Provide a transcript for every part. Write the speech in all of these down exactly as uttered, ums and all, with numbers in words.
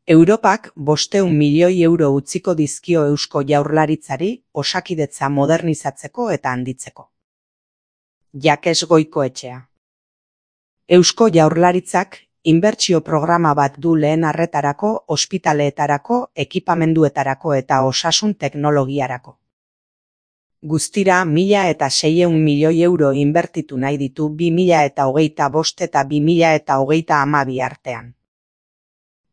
Europak bostehun milioi euro utziko dizkio Eusko Jaurlaritzari osakidetza modernizatzeko eta handitzeko. Jakes Goikoetxea. Eusko Jaurlaritzak inbertsio programa bat du lehen arretarako, ospitaleetarako, ekipamenduetarako eta osasun teknologiarako. Guztira mila eta seiehun milioi euro inbertitu nahi ditu bi mila eta hogeita bost eta bi mila eta hogeita hamabi artean.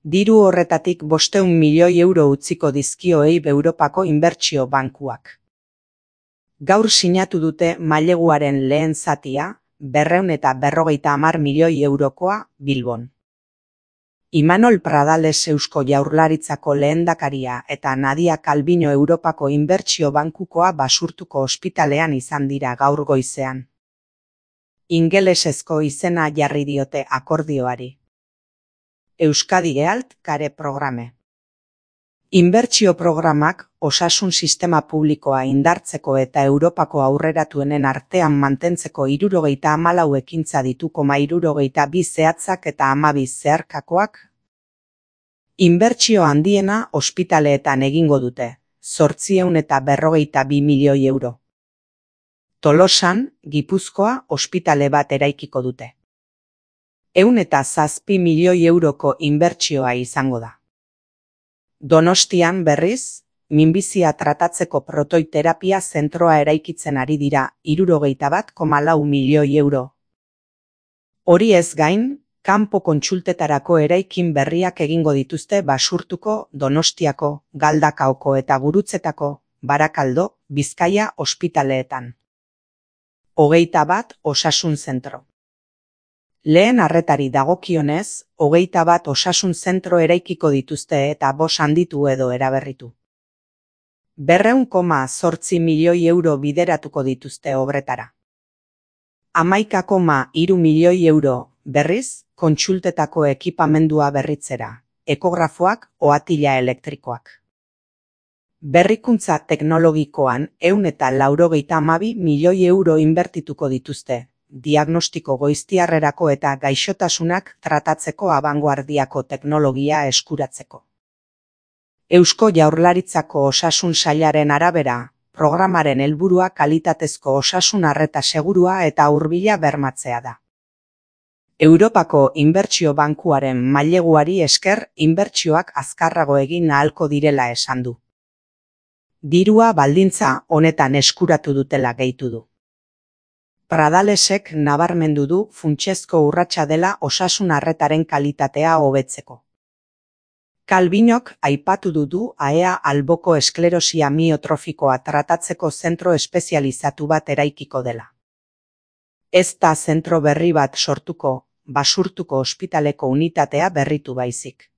Diru horretatik bostehun milioi euro utziko dizkio E I B Europako inbertsio bankuak. Gaur sinatu dute maileguaren lehen zatia, berrehun eta berrogeita hamar milioi eurokoa, Bilbon. Imanol Pradales Eusko Jaurlaritzako lehendakaria eta Nadia Calviño Europako inbertsio bankukoa Basurtuko ospitalean izan dira gaur goizean. Ingelesezko izena jarri diote akordioari. Euskadi Health Care Programe. Inbertsio programak osasun sistema publikoa indartzeko eta Europako aurreratuenen artean mantentzeko hirurogeita hamalau ekintza ditu koma hirurogeita bi zehatzak eta hamabi zeharkakoak. Inbertsio handiena ospitaleetan egingo dute, zortziehun eta berrogeita bi milioi euro. Tolosan, Gipuzkoa, ospitale bat eraikiko dute. Ehun eta zazpi milioi euroko inbertsioa izango da. Donostian berriz, minbizia tratatzeko protoiterapia zentroa eraikitzen ari dira hirurogeita bat koma lau milioi euro. Hori ez gain, kanpo kontsultetarako eraikin berriak egingo dituzte Basurtuko, Donostiako, Galdakaoko eta Gurutzetako, Barakaldo, Bizkaia ospitaleetan. Hogeita bat osasun zentro. Lehen arretari dagokionez, hogeita bat osasun zentro eraikiko dituzte eta bos handitu edo eraberritu. Berrehun koma zortzi milioi euro bideratuko dituzte obretara. Hamaika koma hiru milioi euro, berriz, kontsultetako ekipamendua berritzera, ekografoak, ohatila elektrikoak. Berrikuntza teknologikoan ehun eta laurogeita hamabi milioi euro inbertituko dituzte, diagnostiko goiztiarrerako eta gaixotasunak tratatzeko abangoardiako teknologia eskuratzeko. Eusko Jaurlaritzako osasun sailaren arabera, programaren helburua kalitatezko osasun arreta segurua eta hurbila bermatzea da. Europako inbertsio bankuaren maileguari esker inbertsioak azkarrago egin ahalko direla esan du. Dirua baldintza honetan eskuratu dutela gehitu du. Pradalesek nabarmendu du funtsezko urratsa dela osasun arretaren kalitatea hobetzeko. Calviñok aipatu du A E A alboko esklerosia miotrofikoa tratatzeko zentro espezializatu bat eraikiko dela. Ez da zentro berri bat sortuko, Basurtuko ospitaleko unitatea berritu baizik.